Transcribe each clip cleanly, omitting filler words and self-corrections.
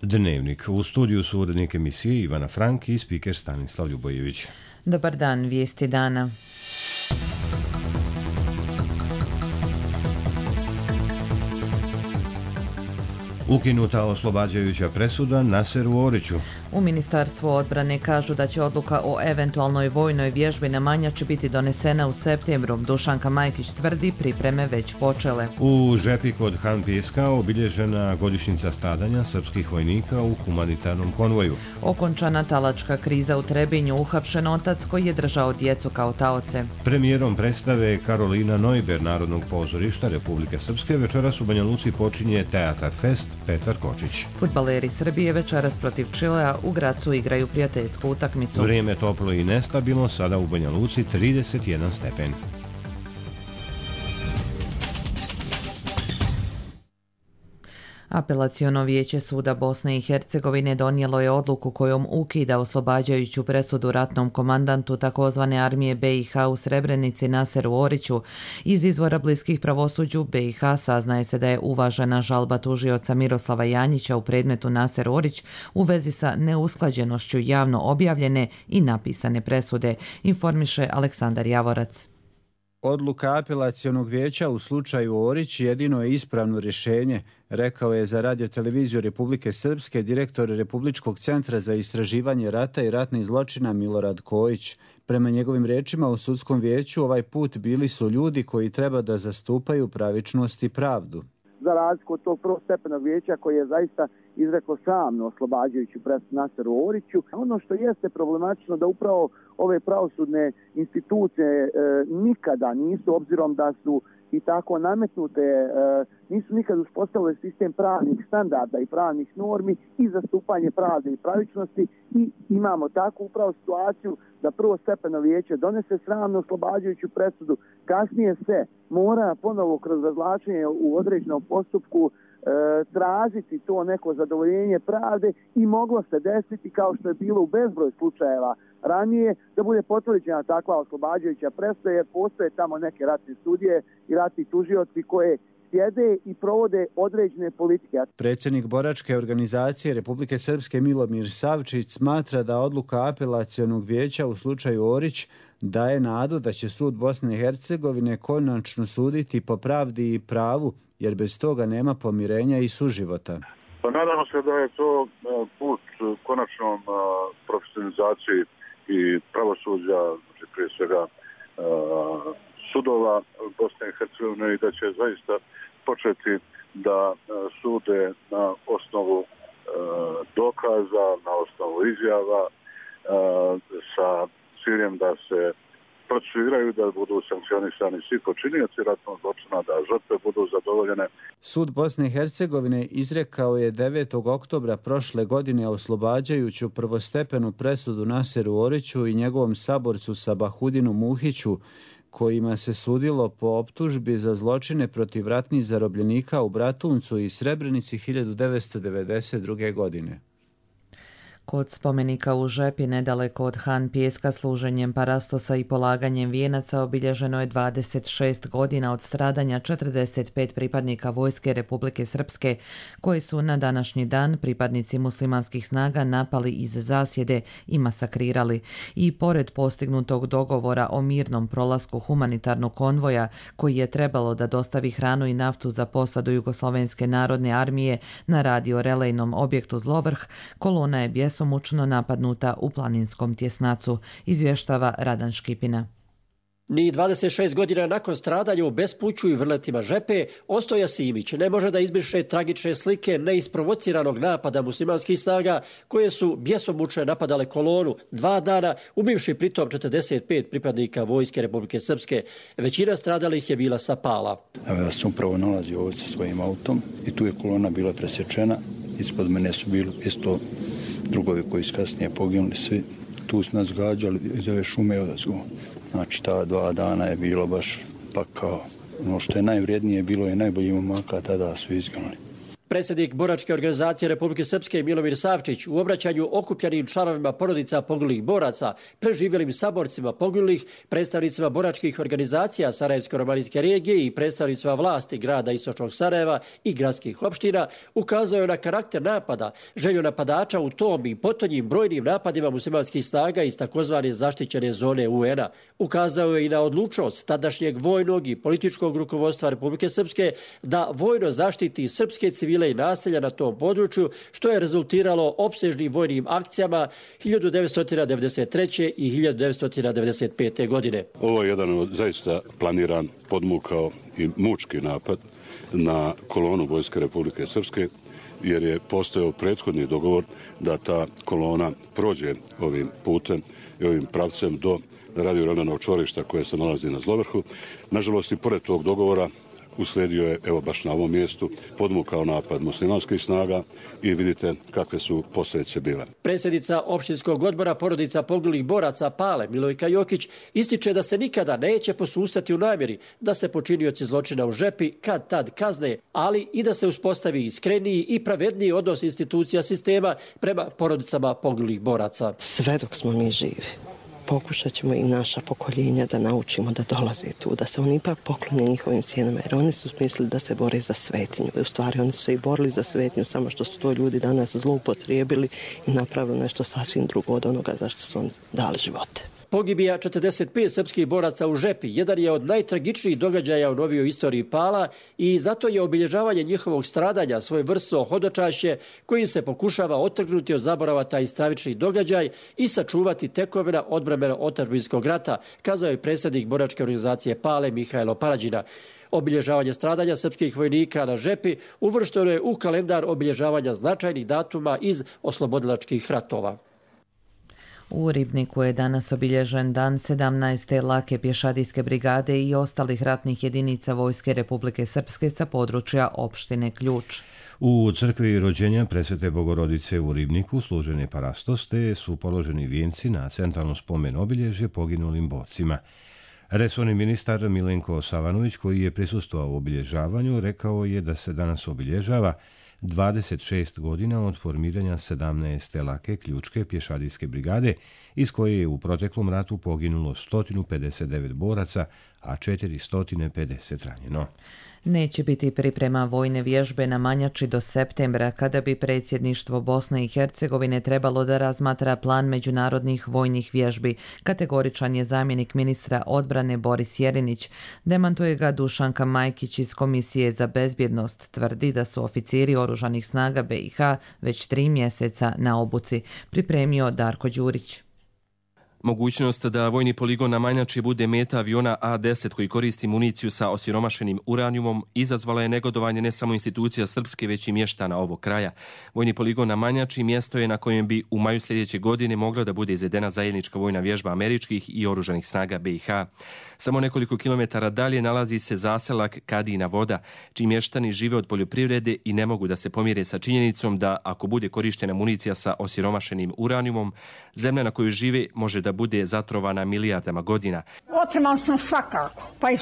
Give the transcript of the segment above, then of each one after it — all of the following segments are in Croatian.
Dnevnik. U studiju su urednik emisije Ivana Frank i spiker Stanislav Ljubojević. Dobar dan, vijesti dana. Ukinuta oslobađajuća presuda Naseru Oriću. U Ministarstvu odbrane kažu da će odluka o eventualnoj vojnoj vježbi na Manjači biti donesena u septembru. Dušanka Majkić tvrdi pripreme već počele. U Žepi kod Han Pijeska obilježena godišnjica stradanja srpskih vojnika u humanitarnom konvoju. Okončana talačka kriza u Trebinju, uhapšen otac koji je držao djecu kao taoce. Premijerom predstave Karolina Neuber Narodnog pozorišta Republike Srpske večeras u Banja Luci počinje Teatar Fest Petar Kočić. Fudbaleri Srbije večeras protiv Čilea u Gracu igraju prijateljsku utakmicu. Vrijeme toplo i nestabilno, sada u Banja Luci 31 stepen. Apelaciono vijeće suda Bosne i Hercegovine donijelo je odluku kojom ukida oslobađajuću presudu ratnom komandantu takozvane armije BiH u Srebrenici Naseru Oriću. Iz izvora bliskih pravosuđu BiH saznaje se da je uvažena žalba tužioca Miroslava Janjića u predmetu Naser Orić u vezi sa neusklađenošću javno objavljene i napisane presude, informiše Aleksandar Javorac. Odluka apelacionog vijeća u slučaju Orić jedino je ispravno rješenje, rekao je za Radio-televiziju Republike Srpske direktor Republičkog centra za istraživanje rata i ratnih zločina Milorad Kojić. Prema njegovim riječima u sudskom vijeću ovaj put bili su ljudi koji treba da zastupaju pravičnost i pravdu. Za razliku od tog prvostepenog vijeća koji je zaista izreklo samno oslobađajuću presudu Naseru Oriću. Ono što jeste problematično da upravo ove pravosudne institucije nikada nisu, obzirom da su i tako nametnute, nisu nikad uspostavile sistem pravnih standarda i pravnih normi i zastupanje pravde i pravičnosti i imamo takvu upravo situaciju da prvostepeno vijeće donese sramno oslobađajuću presudu, kasnije se mora ponovo kroz razvlačenje u određenom postupku tražiti to neko zadovoljenje pravde i moglo se desiti, kao što je bilo u bezbroj slučajeva ranije, da bude potvrđena takva oslobađajuća presuda, jer postoje tamo neke ratne sudije i ratni tužioci koje sjede i provode određene politike. Predsjednik boračke organizacije Republike Srpske Milomir Savčić smatra da odluka apelacionog vijeća u slučaju Orić daje nadu da će sud Bosne i Hercegovine konačno suditi po pravdi i pravu, jer bez toga nema pomirenja i suživota. Pa nadamo se da je to put konačnom profesionalizaciji i pravosuđa, znači prije svega sudova Bosne i Hercegovine, i da će zaista početi da sude na osnovu dokaza, na osnovu izjava, sa ciljem da se procesuiraju, da budu sankcionisani svi počinioci ratnog zločina, da žrtve budu zadovoljene. Sud Bosne i Hercegovine izrekao je 9. oktobra prošle godine oslobađajuću prvostepenu presudu Naseru Oriću i njegovom saborcu Sabahudinu Muhiću, kojima se sudilo po optužbi za zločine protiv ratnih zarobljenika u Bratuncu i Srebrenici 1992. godine. Kod spomenika u Žepi, nedaleko od Han Pijeska, služenjem parastosa i polaganjem vijenaca obilježeno je 26 godina od stradanja 45 pripadnika Vojske Republike Srpske, koji su na današnji dan pripadnici muslimanskih snaga napali iz zasjede i masakrirali. I pored postignutog dogovora o mirnom prolasku humanitarnog konvoja, koji je trebalo da dostavi hranu i naftu za posadu Jugoslovenske narodne armije na radio-relejnom objektu Zlovrh, kolona je bjesomučno napadnuta u planinskom tjesnacu, izvještava Radan Škipina. Ni 26 godina nakon stradanja u bespuću i vrletima Žepe, Ostoja Simić ne može da izbriše tragične slike neisprovociranog napada muslimanskih snaga koje su bjesomučno napadale kolonu 2 dana, ubivši pritom 45 pripadnika Vojske Republike Srpske. Većina stradalih je bila sa Pala. Evo, ja sam upravo nalazio ovdje sa svojim autom i tu je kolona bila presječena. Ispod mene su bili isto drugovi koji su kasnije poginuli svi. Tu su nas gađali iz ove šume odazgo. Znači, ta 2 dana je bilo baš pakao. Ono što je najvrijednije bilo je najbolji momaka, tada su izginuli. Predsjednik boračke organizacije Republike Srpske Milomir Savčić u obraćanju okupljenim članovima porodica poginulih boraca, preživjelim saborcima poginulih, predstavnicima boračkih organizacija Sarajevsko-romanijske regije i predstavnicima vlasti grada Istočnog Sarajeva i gradskih opština ukazao je na karakter napada, želju napadača u tom i potonjim brojnim napadima muslimanskih snaga iz takozvane zaštićene zone UN-a. Ukazao je i na odlučnost tadašnjeg vojnog i političkog rukovodstva Republike Srpske da vojno zaštiti srpske civile i naselja na tom području, što je rezultiralo opsežnim vojnim akcijama 1993. i 1995. godine. Ovo je jedan od zaista planiran, podmukao i mučki napad na kolonu Vojske Republike Srpske, jer je postojao prethodni dogovor da ta kolona prođe ovim putem i ovim pravcem do radio-radanog čvorišta koje se nalazi na Zlovrhu. Nažalost, i pored tog dogovora usledio je, evo baš na ovom mjestu, podmukao napad muslimanskih snaga i vidite kakve su posljedice bile. Predsjednica opštinskog odbora porodica poginulih boraca Pale Milojka Jokić ističe da se nikada neće posustati u namjeri da se počinioci zločina u Žepi kad tad kazne, ali i da se uspostavi iskreniji i pravedniji odnos institucija sistema prema porodicama poginulih boraca. Sve dok smo mi živi, pokušat ćemo i naša pokoljenja da naučimo da dolaze tu, da se oni ipak poklone njihovim sjenama, jer oni su mislili da se bore za svetinju. U stvari oni su se i borili za svetinju, samo što su to ljudi danas zloupotrijebili i napravili nešto sasvim drugo od onoga za što su oni dali živote. Pogibija 45 srpskih boraca u Žepi jedan je od najtragičnijih događaja u novijoj istoriji Pala i zato je obilježavanje njihovog stradanja svojevrsno hodočašće kojim se pokušava otrgnuti od zaborava taj stravični događaj i sačuvati tekovina odbrane otadžbinskog rata, kazao je predsjednik boračke organizacije Pale Mihajlo Parađina. Obilježavanje stradanja srpskih vojnika na Žepi uvršteno je u kalendar obilježavanja značajnih datuma iz oslobodilačkih ratova. U Ribniku je danas obilježen dan 17. lake pješadijske brigade i ostalih ratnih jedinica Vojske Republike Srpske sa područja opštine Ključ. U crkvi rođenja Presvete Bogorodice u Ribniku služen je parastos, te su položeni vijenci na centralno spomen obilježje poginulim borcima. Resorni ministar Milenko Savanović, koji je prisustvovao obilježavanju, rekao je da se danas obilježava 26 godina od formiranja 17. lake ključke pješadijske brigade, iz koje je u proteklom ratu poginulo 159 boraca, a 450 ranjeno. Neće biti priprema vojne vježbe na Manjači do septembra, kada bi predsjedništvo Bosne i Hercegovine trebalo da razmatra plan međunarodnih vojnih vježbi. Kategoričan je zamjenik ministra odbrane Boris Jerinić. Demantuje ga Dušanka Majkić iz Komisije za bezbjednost. Tvrdi da su oficiri oružanih snaga BiH već 3 mjeseca na obuci. Pripremio Darko Đurić. Mogućnost da vojni poligon na Manjači bude meta aviona A-10 koji koristi municiju sa osiromašenim uranijumom izazvala je negodovanje ne samo institucija srpske, već i mještana ovog kraja. Vojni poligon na Manjači mjesto je na kojem bi u maju sljedeće godine mogla da bude izvedena zajednička vojna vježba američkih i oružanih snaga BiH. Samo nekoliko kilometara dalje nalazi se zaselak Kadina Voda, čiji mještani žive od poljoprivrede i ne mogu da se pomire sa činjenicom da ako bude korištena municija sa osiromašenim uranijumom, zemlja na kojoj žive može da bude zatrovana milijardama godina. Otimali smo svakako, pa i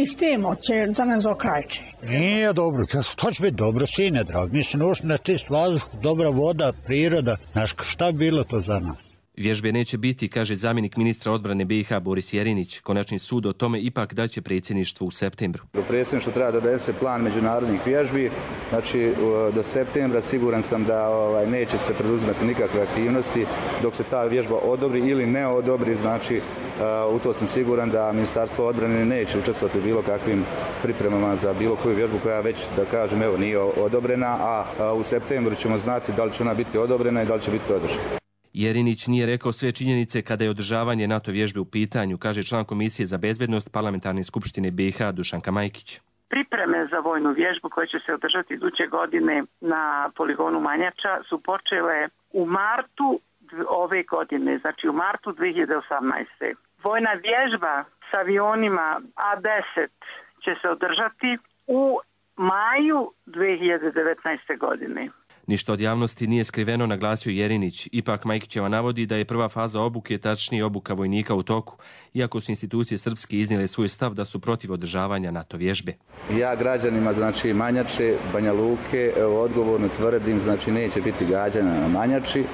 s tim će da nam zaokrajče. Nije dobro, to će biti dobro, sine drag. Mislim, ušli na čist vazduh, dobra voda, priroda. Znaš, šta bi bilo to za nas? Vježbe neće biti, kaže zamjenik ministra odbrane BiH Boris Jerinić. Konačni sud o tome ipak daće predsjedništvu u septembru. Predsjedništvo treba da donese plan međunarodnih vježbi. Znači, do septembra siguran sam da neće se preduzimati nikakve aktivnosti dok se ta vježba odobri ili ne odobri. Znači, u to sam siguran da Ministarstvo odbrane neće učestvovati u bilo kakvim pripremama za bilo koju vježbu koja već, da kažem, evo, nije odobrena, a u septembru ćemo znati da li će ona biti odobrena i da li će biti održana. Jerinić nije rekao sve činjenice kada je održavanje NATO vježbe u pitanju, kaže član Komisije za bezbjednost Parlamentarne skupštine BiH Dušanka Majkić. Pripreme za vojnu vježbu koja će se održati iduće godine na poligonu Manjača su počele u martu ove godine, znači u martu 2018. Vojna vježba s avionima A-10 će se održati u maju 2019. godine. Ništa od javnosti nije skriveno, naglasio Jerinić. Ipak Majkićeva navodi da je prva faza obuke, tačnije obuka vojnika, u toku, iako su institucije srpske iznijele svoj stav da su protiv održavanja NATO vježbe. Ja građanima, znači Manjače, Banja Luke, odgovorno tvrdim, znači neće biti gađanja na Manjači,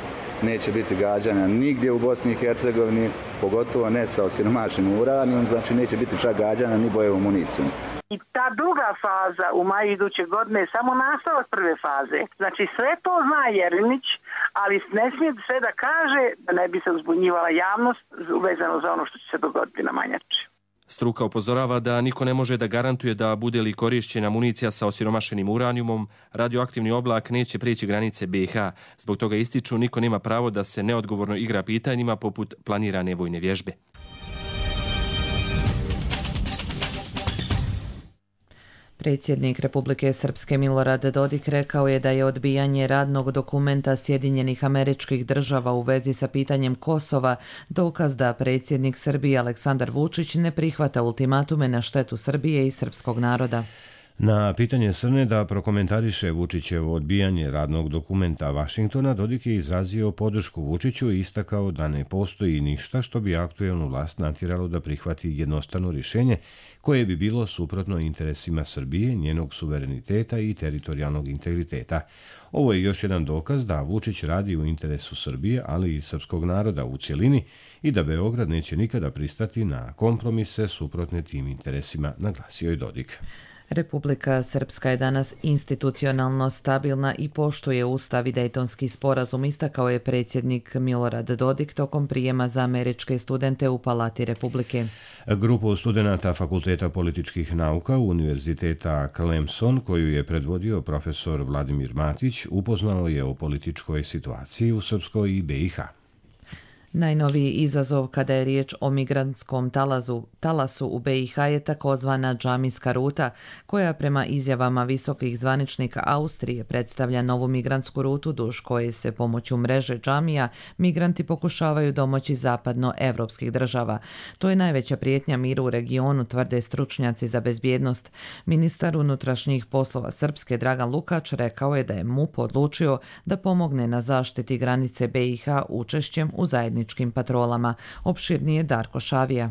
neće biti gađanja nigdje u Bosni i Hercegovini, pogotovo ne sa osiromašenim uranijom, znači neće biti čak gađanja ni bojevom municijom. I ta druga faza u maju iduće godine je samo nastavak prve faze. Znači sve to zna Jerinić, ali ne smije sve da kaže da ne bi se uzbunjivala javnost vezano za ono što će se dogoditi na Manjači. Struka upozorava da niko ne može da garantuje da bude li korišćena municija sa osiromašenim uranijumom, radioaktivni oblak neće prijeći granice BiH. Zbog toga ističu, niko nema pravo da se neodgovorno igra pitanjima poput planirane vojne vježbe. Predsjednik Republike Srpske Milorad Dodik rekao je da je odbijanje radnog dokumenta Sjedinjenih Američkih Država u vezi sa pitanjem Kosova dokaz da predsjednik Srbije Aleksandar Vučić ne prihvata ultimatume na štetu Srbije i srpskog naroda. Na pitanje Srne da prokomentariše Vučićevo odbijanje radnog dokumenta Vašingtona, Dodik je izrazio podršku Vučiću i istakao da ne postoji ništa što bi aktuelnu vlast natjeralo da prihvati jednostrano rješenje koje bi bilo suprotno interesima Srbije, njenog suvereniteta i teritorijalnog integriteta. Ovo je još jedan dokaz da Vučić radi u interesu Srbije, ali i srpskog naroda u cjelini i da Beograd neće nikada pristati na kompromise suprotne tim interesima, naglasio je Dodik. Republika Srpska je danas institucionalno stabilna i poštuje Ustav i Dejtonski sporazum, istakao je predsjednik Milorad Dodik tokom prijema za američke studente u Palati Republike. Grupu studenata Fakulteta političkih nauka Univerziteta Clemson, koju je predvodio profesor Vladimir Matić, upoznao je o političkoj situaciji u Srpskoj i BiH. Najnoviji izazov kada je riječ o migrantskom talasu u BiH je takozvana džamijska ruta, koja prema izjavama visokih zvaničnika Austrije predstavlja novu migrantsku rutu duž koje se pomoću mreže džamija migranti pokušavaju domoći zapadnoevropskih država. To je najveća prijetnja miru u regionu, tvrde stručnjaci za bezbjednost. Ministar unutrašnjih poslova Srpske Dragan Lukač rekao je da je MUP odlučio da pomogne na zaštiti granice BiH učešćem u zajedničkim patrolama. Opširnije Darko Šavija.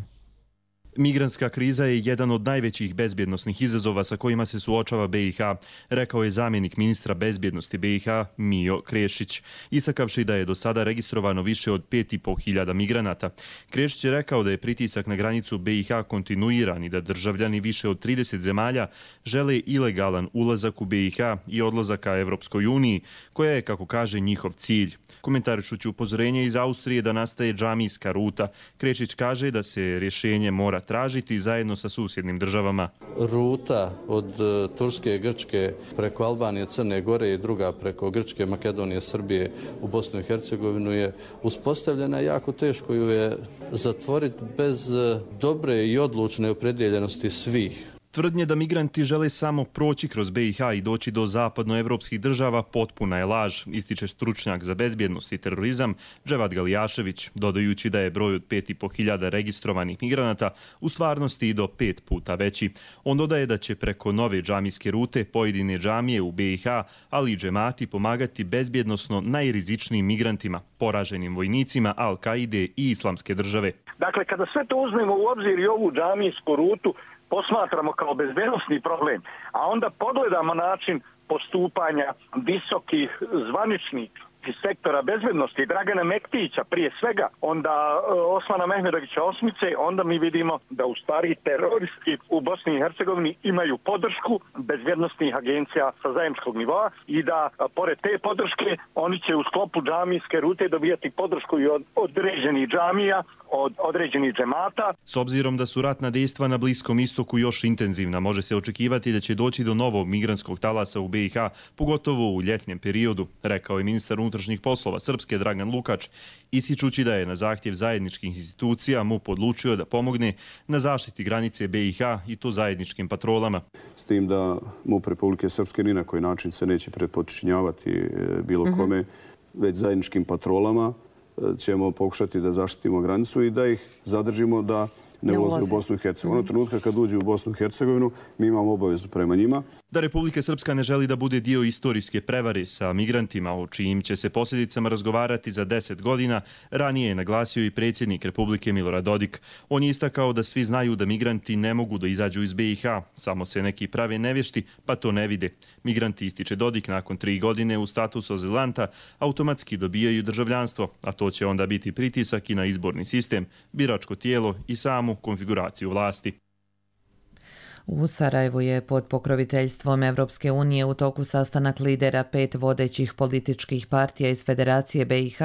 Migrantska kriza je jedan od najvećih bezbjednosnih izazova sa kojima se suočava BiH, rekao je zamjenik ministra bezbjednosti BiH Mijo Krešić, istakavši da je do sada registrovano više od 5.500 migranata. Krešić je rekao da je pritisak na granicu BiH kontinuiran i da državljani više od 30 zemalja žele ilegalan ulazak u BiH i odlazak ka Evropskoj uniji, koja je, kako kaže, njihov cilj. Komentarišući upozorenje iz Austrije da nastaje džamijska ruta, Krešić kaže da se rješenje mora tražiti zajedno sa susjednim državama. Ruta od Turske, Grčke preko Albanije, Crne Gore i druga preko Grčke, Makedonije, Srbije u Bosnu i Hercegovinu je uspostavljena. Jako teško ju je zatvoriti bez dobre i odlučne opredjeljenosti svih. Tvrdnje da migranti žele samo proći kroz BiH i doći do zapadnoevropskih država potpuna je laž, ističe stručnjak za bezbjednost i terorizam Dževad Galijašević, dodajući da je broj od 5.500 registrovanih migranata u stvarnosti i do 5 puta veći. On dodaje da će preko nove džamijske rute pojedine džamije u BiH, ali i džemati pomagati bezbjednosno najrizičnijim migrantima, poraženim vojnicima Al-Kaide i Islamske države. Dakle, kada sve to uzmemo u obzir i ovu džamijsku rutu posmatramo kao bezbednosni problem, a onda pogledamo način postupanja visokih zvaničnika iz sektora bezbednosti Dragana Mektića prije svega, onda Osmana Mehmedovića Osmice, onda mi vidimo da u stvari teroristi u Bosni i Hercegovini imaju podršku bezbednostnih agencija sa zajedničkog nivoa i da pored te podrške oni će u sklopu džamijske rute dobijati podršku i od određenih džamija, od određenih džemata. S obzirom da su ratna dejstva na Bliskom istoku još intenzivna, može se očekivati da će doći do novog migrantskog talasa u BiH, pogotovo u ljetnjem periodu, rekao je ministar unutrašnjih poslova Srpske Dragan Lukač, ističući da je na zahtjev zajedničkih institucija MUP odlučio da pomogne na zaštiti granice BiH i to zajedničkim patrolama. S tim da MUP Republike Srpske ni na koji način se neće pretpočinjavati bilo kome, već zajedničkim patrolama ćemo pokušati da zaštitimo granicu i da ih zadržimo da ne ulaze u Bosnu i Hercegovinu. Ono trenutka kad uđu u Bosnu i Hercegovinu, mi imamo obavezu prema njima. Da Republika Srpska ne želi da bude dio istorijske prevare sa migrantima, o čijim će se posljedicama razgovarati za 10 godina, ranije je naglasio i predsjednik Republike Milorad Dodik. On je istakao da svi znaju da migranti ne mogu da izađu iz BiH, samo se neki prave nevješti, pa to ne vide. Migranti, ističe Dodik, nakon 3 godine u statusu azilanta automatski dobijaju državljanstvo, a to će onda biti pritisak i na izborni sistem, biračko tijelo i samu konfiguraciju vlasti. U Sarajevu je pod pokroviteljstvom Evropske unije u toku sastanak lidera 5 vodećih političkih partija iz Federacije BiH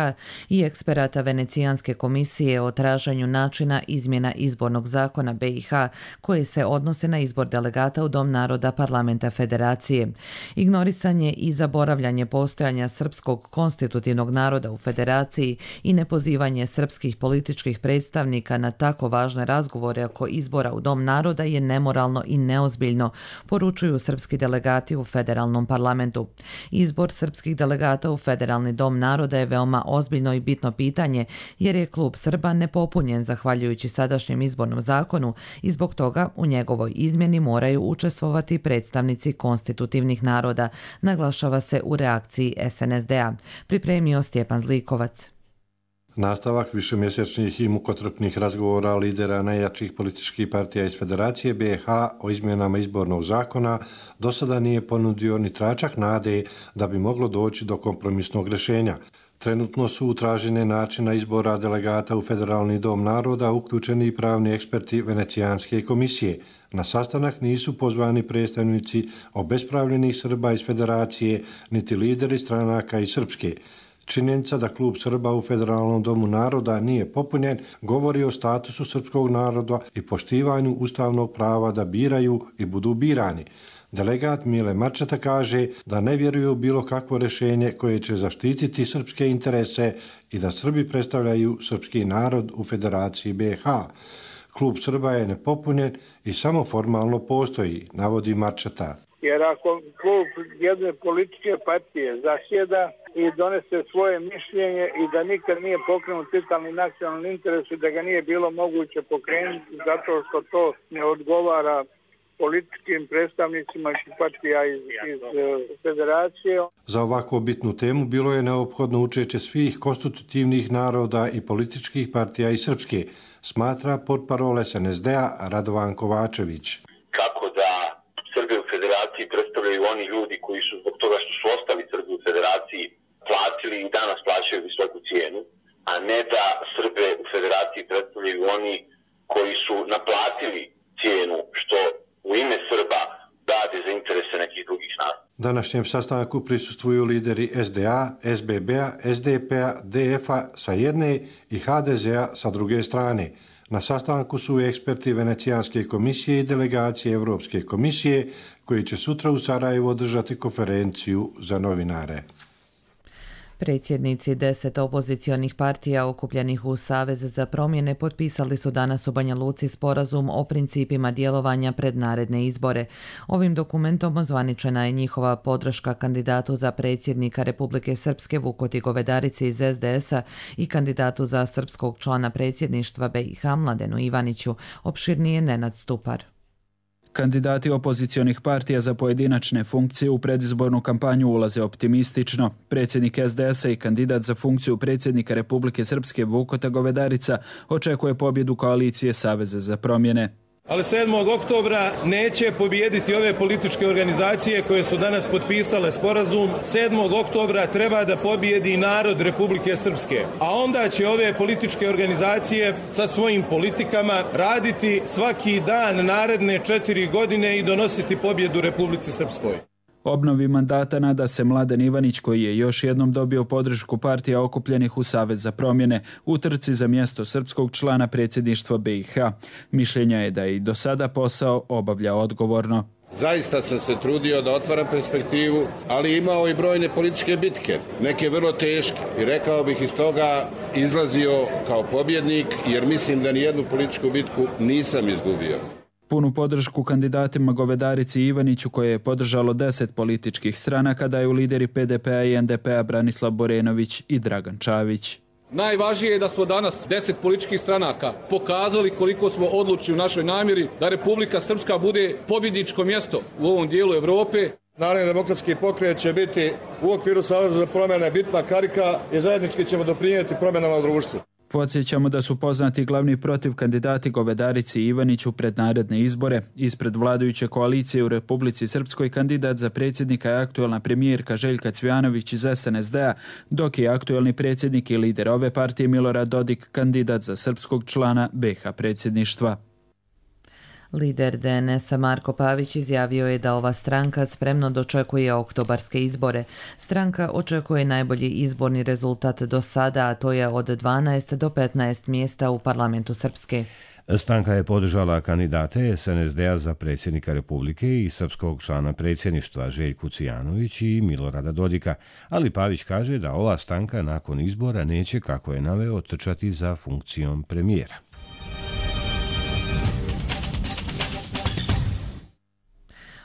i eksperata Venecijanske komisije o traženju načina izmjena izbornog zakona BiH koje se odnose na izbor delegata u Dom naroda Parlamenta Federacije. Ignorisanje i zaboravljanje postojanja srpskog konstitutivnog naroda u Federaciji i nepozivanje srpskih političkih predstavnika na tako važne razgovore oko izbora u Dom naroda je nemoralno i neozbiljno, poručuju srpski delegati u federalnom parlamentu. Izbor srpskih delegata u Federalni dom naroda je veoma ozbiljno i bitno pitanje, jer je klub Srba nepopunjen zahvaljujući sadašnjem izbornom zakonu i zbog toga u njegovoj izmjeni moraju učestvovati predstavnici konstitutivnih naroda, naglašava se u reakciji SNSD-a. Pripremio Stjepan Zlikovac. Nastavak višemjesečnih i mukotrpnih razgovora lidera najjačih političkih partija iz Federacije BiH o izmjenama izbornog zakona do sada nije ponudio ni tračak nade da bi moglo doći do kompromisnog rješenja. Trenutno su u traženje načina izbora delegata u Federalni dom naroda uključeni i pravni eksperti Venecijanske komisije. Na sastanak nisu pozvani predstavnici obespravljenih Srba iz Federacije, niti lideri stranaka iz Srpske. Činjenica da klub Srba u Federalnom domu naroda nije popunjen govori o statusu srpskog naroda i poštivanju ustavnog prava da biraju i budu birani. Delegat Mile Marčeta kaže da ne vjeruju bilo kakvo rješenje koje će zaštititi srpske interese i da Srbi predstavljaju srpski narod u Federaciji BiH. Klub Srba je nepopunjen i samo formalno postoji, navodi Marčeta. Jer ako klub jedne političke partije zasjeda i donese svoje mišljenje i da nikad nije pokrenut vitalni nacionalni interes i da ga nije bilo moguće pokrenuti zato što to ne odgovara političkim predstavnicima partija iz Federacije. Za ovako bitnu temu bilo je neophodno učešće svih konstitutivnih naroda i političkih partija iz Srpske, smatra portparol SNSD-a Radovan Kovačević. Kako da Srbi u Federaciji predstavljaju oni ljudi koji su zbog toga što su ostali Srbi u Federaciji platili i danas plaćaju visoku cijenu, a ne da Srbe u Federaciji predstavljaju oni koji su naplatili cijenu što u ime Srba rade za interese nekih drugih naroda. Današnjem sastanku prisustvuju lideri SDA, SBB-a, SDP-a, DF-a sa jedne i HDZ-a sa druge strane. Na sastanku su eksperti Venecijanske komisije i delegacije Evropske komisije koji će sutra u Sarajevu održati konferenciju za novinare. Predsjednici 10 opozicionih partija okupljenih u Savez za promjene potpisali su danas u Banja Luci sporazum o principima djelovanja pred naredne izbore. Ovim dokumentom ozvaničena je njihova podrška kandidatu za predsjednika Republike Srpske Vukoti Govedarici iz SDS-a i kandidatu za srpskog člana predsjedništva BiH Mladenu Ivaniću, opširnije Nenad Stupar. Kandidati opozicionih partija za pojedinačne funkcije u predizbornu kampanju ulaze optimistično. Predsjednik SDS-a i kandidat za funkciju predsjednika Republike Srpske Vukota Govedarica očekuje pobjedu koalicije Saveza za promjene. Ali 7. oktobra neće pobijediti ove političke organizacije koje su danas potpisale sporazum. 7. oktobra treba da pobijedi narod Republike Srpske. A onda će ove političke organizacije sa svojim politikama raditi svaki dan naredne 4 godine i donositi pobjedu Republici Srpskoj. Obnovi mandata nada se Mladen Ivanić, koji je još jednom dobio podršku partija okupljenih u Savez za promjene u trci za mjesto srpskog člana predsjedništva BiH. Mišljenja je da i do sada posao obavlja odgovorno. Zaista sam se trudio da otvaram perspektivu, ali imao i brojne političke bitke, neke vrlo teške. I rekao bih iz toga izlazio kao pobjednik, jer mislim da nijednu političku bitku nisam izgubio. Punu podršku kandidatima Govedarici i Ivaniću, koje je podržalo 10 političkih stranaka, daju lideri PDP-a i NDP-a Branislav Borenović i Dragan Čavić. Najvažnije je da smo danas 10 političkih stranaka pokazali koliko smo odlučni u našoj namjeri da Republika Srpska bude pobjedničko mjesto u ovom dijelu Europe. Narodni demokratski pokret će biti u okviru Saveza za promjene bitna karika i zajednički ćemo doprinijeti promjenama u društvu. Podsjećamo da su poznati glavni protiv kandidati Govedarici i Ivaniću pred naredne izbore. Ispred vladajuće koalicije u Republici Srpskoj kandidat za predsjednika je aktualna premijerka Željka Cvijanović iz SNSD-a, dok je aktualni predsjednik i lider ove partije Milorad Dodik kandidat za srpskog člana BiH predsjedništva. Lider DNS-a Marko Pavić izjavio je da ova stranka spremno dočekuje oktobarske izbore. Stranka očekuje najbolji izborni rezultat do sada, a to je od 12 do 15 mjesta u parlamentu Srpske. Stranka je podržala kandidate SNSD-a za predsjednika Republike i srpskog člana predsjedništva Željku Cvijanović i Milorada Dodika, ali Pavić kaže da ova stranka nakon izbora neće, kako je naveo, trčati za funkcijom premijera.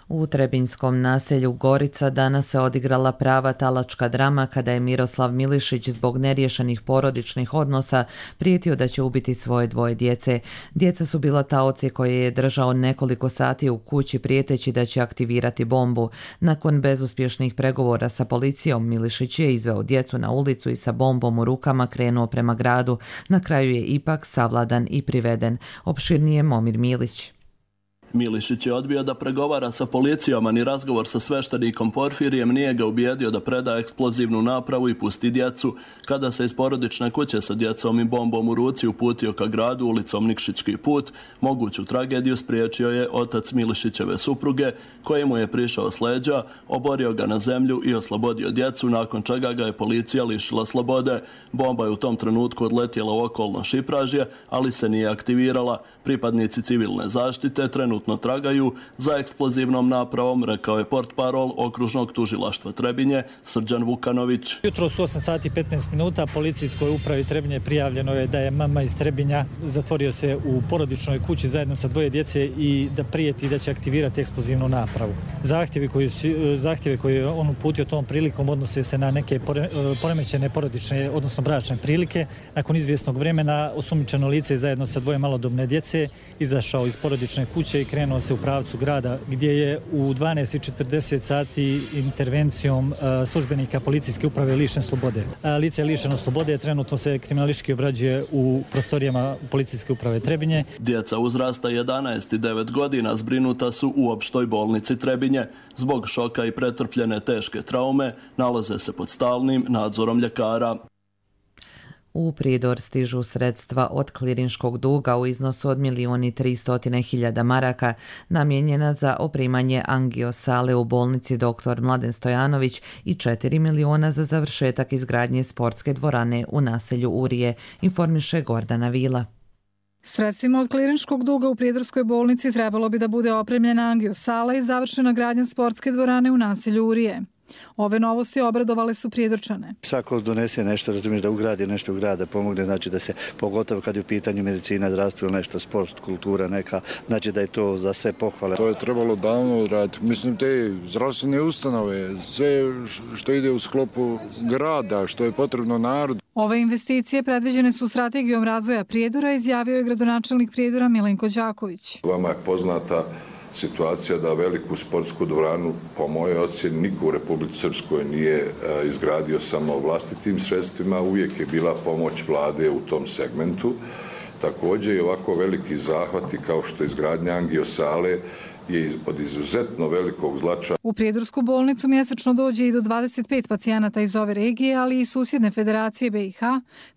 U Trebinskom naselju Gorica danas se odigrala prava talačka drama kada je Miroslav Milišić zbog neriješenih porodičnih odnosa prijetio da će ubiti svoje 2 djece. Djeca su bila taoci koje je držao nekoliko sati u kući prijeteći da će aktivirati bombu. Nakon bezuspješnih pregovora sa policijom, Milišić je izveo djecu na ulicu i sa bombom u rukama krenuo prema gradu. Na kraju je ipak savladan i priveden. Opširnije Momir Milić. Milišić je odbio da pregovara sa policijom, a ni razgovor sa sveštenikom Porfirijem nije ga ubijedio da preda eksplozivnu napravu i pusti djecu. Kada se iz porodične kuće sa djecom i bombom u ruci uputio ka gradu ulicom Nikšićki put, moguću tragediju spriječio je otac Milišićeve supruge, koji mu je prišao s leđa, oborio ga na zemlju i oslobodio djecu, nakon čega ga je policija lišila slobode. Bomba je u tom trenutku odletjela u okolno Šipražje, ali se nije aktivirala. Pripadnici civilne zaštite trenutno tragaju za eksplozivnom napravom, rekao je portparol okružnog tužilaštva Trebinje Srđan Vukanović. Jutro su 8 sati 15 minuta policijskoj upravi Trebinje prijavljeno je da je mama iz Trebinja zatvorio se u porodičnoj kući zajedno sa 2 djece i da prijeti da će aktivirati eksplozivnu napravu. Zahtjeve koje je on uputio tom prilikom odnose se na neke poremećene porodične, odnosno bračne prilike. Nakon izvjesnog vremena osumnjičeno lice zajedno sa 2 malodobne djece izašao iz porodične kuće i krenuo se u pravcu grada, gdje je u 12:40 sati intervencijom službenika policijske uprave lišen slobode. Lice je lišeno slobode, trenutno se kriminalistički obrađuje u prostorijama policijske uprave Trebinje. Djeca uzrasta 11 i 9 godina zbrinuta su u opštoj bolnici Trebinje. Zbog šoka i pretrpljene teške traume nalaze se pod stalnim nadzorom ljekara. U Pridor stižu sredstva od klirinškog duga u iznosu od 1.300.000 maraka namijenjena za opremanje angiosale u bolnici dr. Mladen Stojanović i 4 miliona za završetak izgradnje sportske dvorane u naselju Urije, informiše Gordana Vila. Sredstvima od klirinškog duga u Prijedorskoj bolnici trebalo bi da bude opremljena angiosala i završena gradnja sportske dvorane u naselju Urije. Ove novosti obradovale su Prijedorčane. Svako donese nešto, razumiješ, da ugradi nešto u grada, pomogne, znači da se, pogotovo kad je u pitanju medicina, zdravstvo ili nešto, sport, kultura neka, znači da je to za sve pohvale. To je trebalo davno raditi. Mislim, te zdravstvene ustanove, sve što ide u sklopu grada, što je potrebno narodu. Ove investicije predviđene su strategijom razvoja Prijedora, izjavio je gradonačelnik Prijedora Milenko Đaković. Vama je poznata situacija da veliku sportsku dvoranu, po mojoj ocjeni, niko u Republici Srpskoj nije izgradio samo vlastitim sredstvima, uvijek je bila pomoć vlade u tom segmentu. Također i ovako veliki zahvati kao što je izgradnja angiosale je od izuzetno velikog značaja. U Prijedorsku bolnicu mjesečno dođe i do 25 pacijenata iz ove regije, ali i susjedne federacije BiH,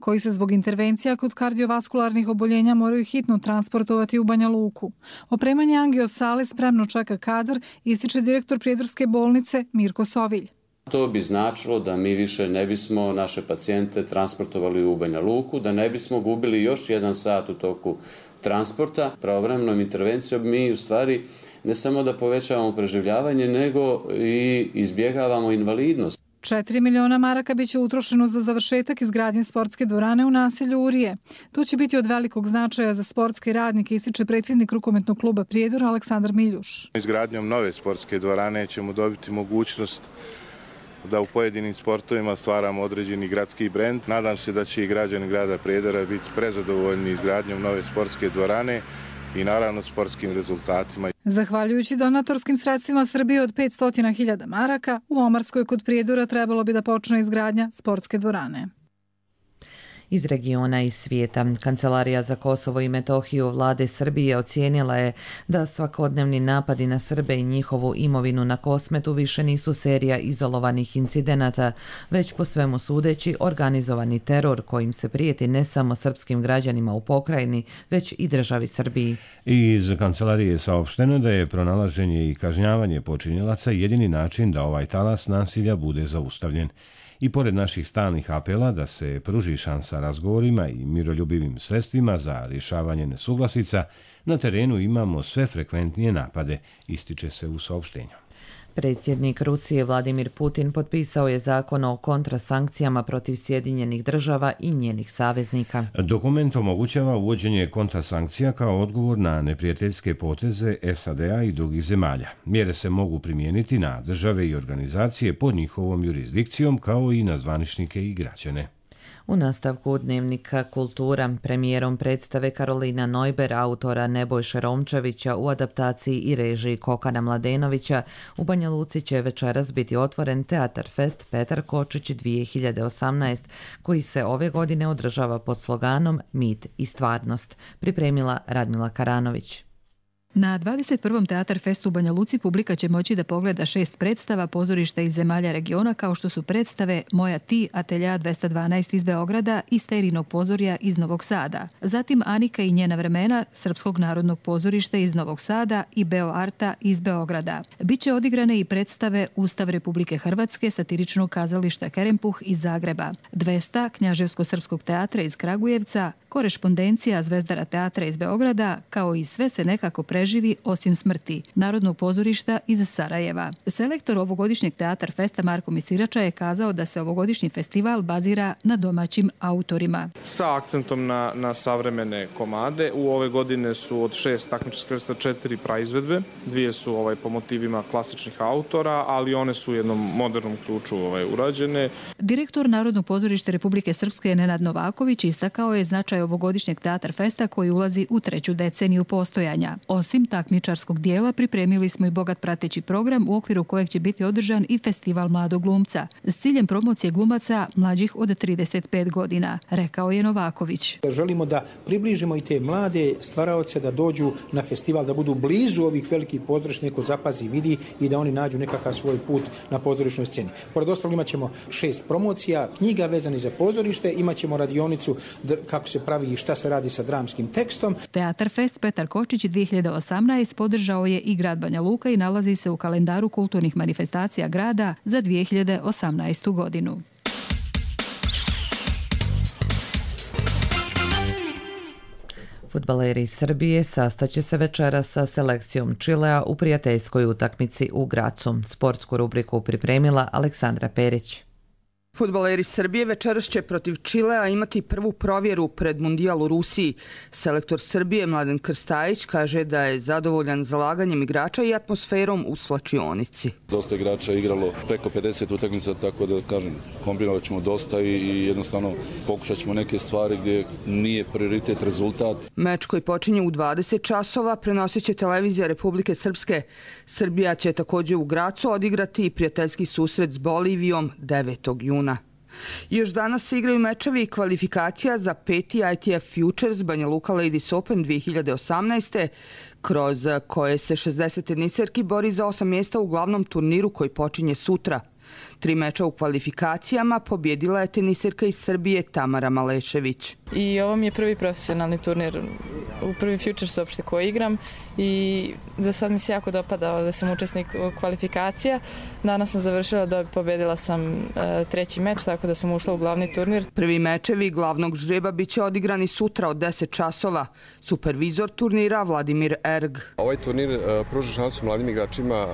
koji se zbog intervencija kod kardiovaskularnih oboljenja moraju hitno transportovati u Banja Luku. Opremanje angiosale spremno čeka kadar, ističe direktor Prijedorske bolnice Mirko Sovilj. To bi značilo da mi više ne bismo naše pacijente transportovali u Banja Luku, da ne bismo gubili još 1 sat u toku transporta. Pravovremenom intervencijom mi u stvari ne samo da povećavamo preživljavanje, nego i izbjegavamo invalidnost. 4 miliona maraka biće utrošeno za završetak izgradnje sportske dvorane u naselju Urije. To će biti od velikog značaja za sportske radnike, ističe predsjednik rukometnog kluba Prijedor Aleksandar Miljuš. Izgradnjom nove sportske dvorane ćemo dobiti mogućnost da u pojedinim sportovima stvaramo određeni gradski brend. Nadam se da će i građani grada Prijedora biti prezadovoljni izgradnjom nove sportske dvorane i naravno sportskim rezultatima. Zahvaljujući donatorskim sredstvima Srbije od 500.000 maraka, u Omarskoj kod Prijedora trebalo bi da počne izgradnja sportske dvorane. Iz regiona i svijeta. Kancelarija za Kosovo i Metohiju vlade Srbije ocijenila je da svakodnevni napadi na Srbe i njihovu imovinu na Kosmetu više nisu serija izolovanih incidenata, već po svemu sudeći organizovani teror kojim se prijeti ne samo srpskim građanima u pokrajini, već i državi Srbiji. Iz kancelarije je saopšteno da je pronalaženje i kažnjavanje počinjelaca jedini način da ovaj talas nasilja bude zaustavljen. I pored naših stalnih apela da se pruži šansa razgovorima i miroljubivim sredstvima za rješavanje nesuglasica, na terenu imamo sve frekventnije napade, ističe se u saopštenju. Predsjednik Rusije Vladimir Putin potpisao je zakon o kontrasankcijama protiv Sjedinjenih država i njenih saveznika. Dokument omogućava uvođenje kontrasankcija kao odgovor na neprijateljske poteze SAD-a i drugih zemalja. Mjere se mogu primijeniti na države i organizacije pod njihovom jurisdikcijom kao i na zvaničnike i građane. U nastavku Dnevnika Kultura premijerom predstave Karolina Neuber, autora Nebojše Romčevića u adaptaciji i režiji Kokana Mladenovića, u Banja Luci će večeras biti otvoren Teatar Fest Petar Kočić 2018, koji se ove godine održava pod sloganom Mit i stvarnost, pripremila Radmila Karanović. Na 21. Teatar Festu u Banja Luci publika će moći da pogleda 6 predstava pozorišta iz zemalja regiona, kao što su predstave Moja ti, Atelja 212 iz Beograda i Sterinog pozorja iz Novog Sada. Zatim Anika i njena vremena Srpskog narodnog pozorišta iz Novog Sada i Beo Arta iz Beograda. Biće odigrane i predstave Ustav Republike Hrvatske, satiričnog kazališta Kerempuh iz Zagreba, 200 Knjaževsko-srpskog teatra iz Kragujevca, Korešpondencija Zvezdara teatra iz Beograda, kao i Sve se nekako preživi osim smrti, Narodnog pozorišta iz Sarajeva. Selektor ovogodišnjeg Teatar Festa Marko Misirača je kazao da se ovogodišnji festival bazira na domaćim autorima. Sa akcentom na savremene komade. U ove godine su od 6 takmičarskih predstava 4 praizvedbe. 2 su po motivima klasičnih autora, ali one su u jednom modernom ključu urađene. Direktor Narodnog pozorišta Republike Srpske Nenad Novaković istakao je značaj ovogodišnjeg Teatar Festa koji ulazi u 3. deceniju postojanja. Osim takmičarskog dijela, pripremili smo i bogat prateći program u okviru kojeg će biti održan i festival mladog glumca s ciljem promocije glumaca mlađih od 35 godina, rekao je Novaković. Želimo da približimo i te mlade stvaraoce da dođu na festival, da budu blizu ovih velikih pozorišta, neko zapazi, vidi i da oni nađu nekakav svoj put na pozorišnoj sceni. Pored ostalog imat ćemo 6 promocija, knjiga vezani za pozorište, imat ćemo radionicu kako se pravi i šta se radi sa dramskim tekstom. Teatar Fest Petar Kočić 2018 podržao je i grad Banja Luka i nalazi se u kalendaru kulturnih manifestacija grada za 2018. godinu. Fudbaleri Srbije sastaće se večeras sa selekcijom Čilea u prijateljskoj utakmici u Gracu. Sportsku rubriku pripremila Aleksandra Perić. Fudbaleri Srbije večeras će protiv Čilea imati prvu provjeru pred Mundijal u Rusiji. Selektor Srbije Mladen Krstajić kaže da je zadovoljan zalaganjem igrača i atmosferom u slačionici. Dosta igrača je igralo preko 50 utakmica, tako da kažem, kombinovat ćemo dosta i jednostavno pokušat ćemo neke stvari gdje nije prioritet rezultat. Meč koji počinje u 20 časova prenosit će televizija Republike Srpske. Srbija će također u Gracu odigrati prijateljski susret s Bolivijom 9. juna. Još danas se igraju mečevi i kvalifikacija za 5. ITF Futures Banja Luka Ladies Open 2018. kroz koje se 60 teniserki bori za 8 mjesta u glavnom turniru koji počinje sutra. 3 meča u kvalifikacijama pobjedila je teniserka iz Srbije Tamara Malešević. I ovo mi je prvi profesionalni turnir, u prvi Futures uopšte koji igram i za sad mi se jako dopada da sam učesnik kvalifikacija. Danas sam završila, pobjedila sam 3. meč, tako da sam ušla u glavni turnir. Prvi mečevi glavnog žreba bit će odigrani sutra od 10 časova. Supervizor turnira Vladimir Erg. Ovaj turnir pruža šansu mladim igračima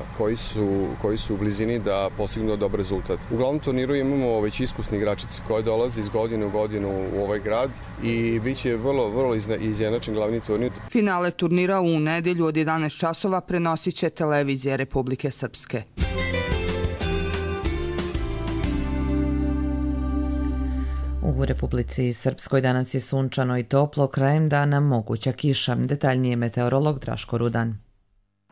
koji su u blizini da postignu dobar rezultat. U glavnom turniru imamo već iskusni igračice koji dolaze iz godine u godinu u ovaj grad i bit će vrlo izjednačen glavni turnir. Finale turnira u nedjelju od 11 časova prenosit će televizija Republike Srpske. U Republici Srpskoj danas je sunčano i toplo, krajem dana moguća kiša. Detaljnije meteorolog Draško Rudan.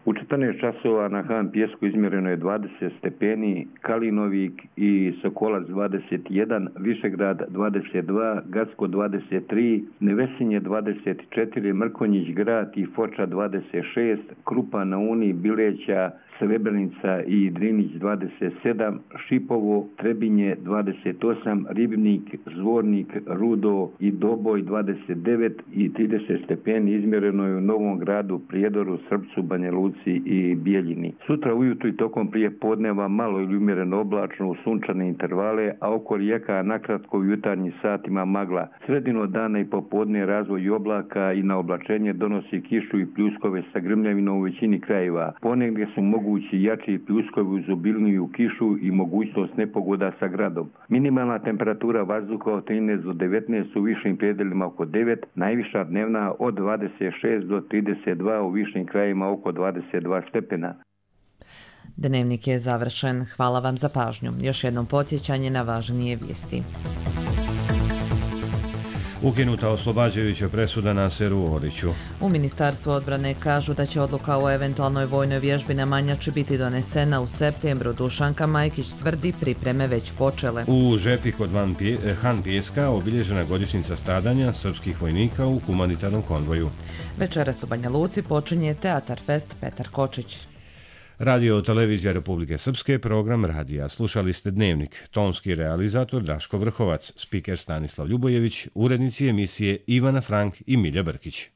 U 14 časova na Han Pijesku izmjereno je 20 stepeni, Kalinovik i Sokolac 21, Višegrad 22, Gacko 23, Nevesinje 24, Mrkonjić Grad i Foča 26, Krupa na Uni, Bileća, Srebrenica i Drinić 27, Šipovo, Trebinje 28, Ribnik, Zvornik, Rudo i Doboj 29 i 30 stepeni izmjereno je u Novom Gradu, Prijedoru, Srpcu, Banja Luci i Bijeljini. Sutra ujutru i tokom prije podneva malo ili umjereno oblačno u sunčane intervale, a oko rijeka nakratko u jutarnjim satima magla. Sredino dana i popodne razvoj oblaka i na oblačenje donosi kišu i pljuskove sa grmljavinom u većini krajeva. Ponegdje su mogući jači pljuskovi uz obilniju kišu i mogućnost nepogoda sa gradom. Minimalna temperatura vazduha od 13 do 19 u višim predelima oko 9, najviša dnevna od 26 do 32 u višim krajevima oko 22 stepena. Dnevnik je završen. Hvala vam za pažnju. Još jednom podsjećanje na važnije vijesti. Ukinuta oslobađajuća presuda Naseru Oriću. U Ministarstvu odbrane kažu da će odluka o eventualnoj vojnoj vježbi na Manjači biti donesena u septembru. Dušanka Majkić tvrdi pripreme već počele. U Žepi kod Han Pijeska obilježena godišnjica stradanja srpskih vojnika u humanitarnom konvoju. Večeras u Banja Luci počinje Teatar Fest Petar Kočić. Radio Televizija Republike Srpske, program radija. Slušali ste Dnevnik. Tonski realizator Draško Vrhovac, spiker Stanislav Ljubojević, urednici emisije Ivana Frank i Milja Brkić.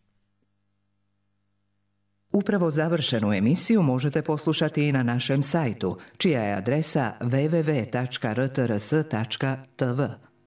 Upravo završenu emisiju možete poslušati i na našem sajtu, čija je adresa www.rtrs.tv.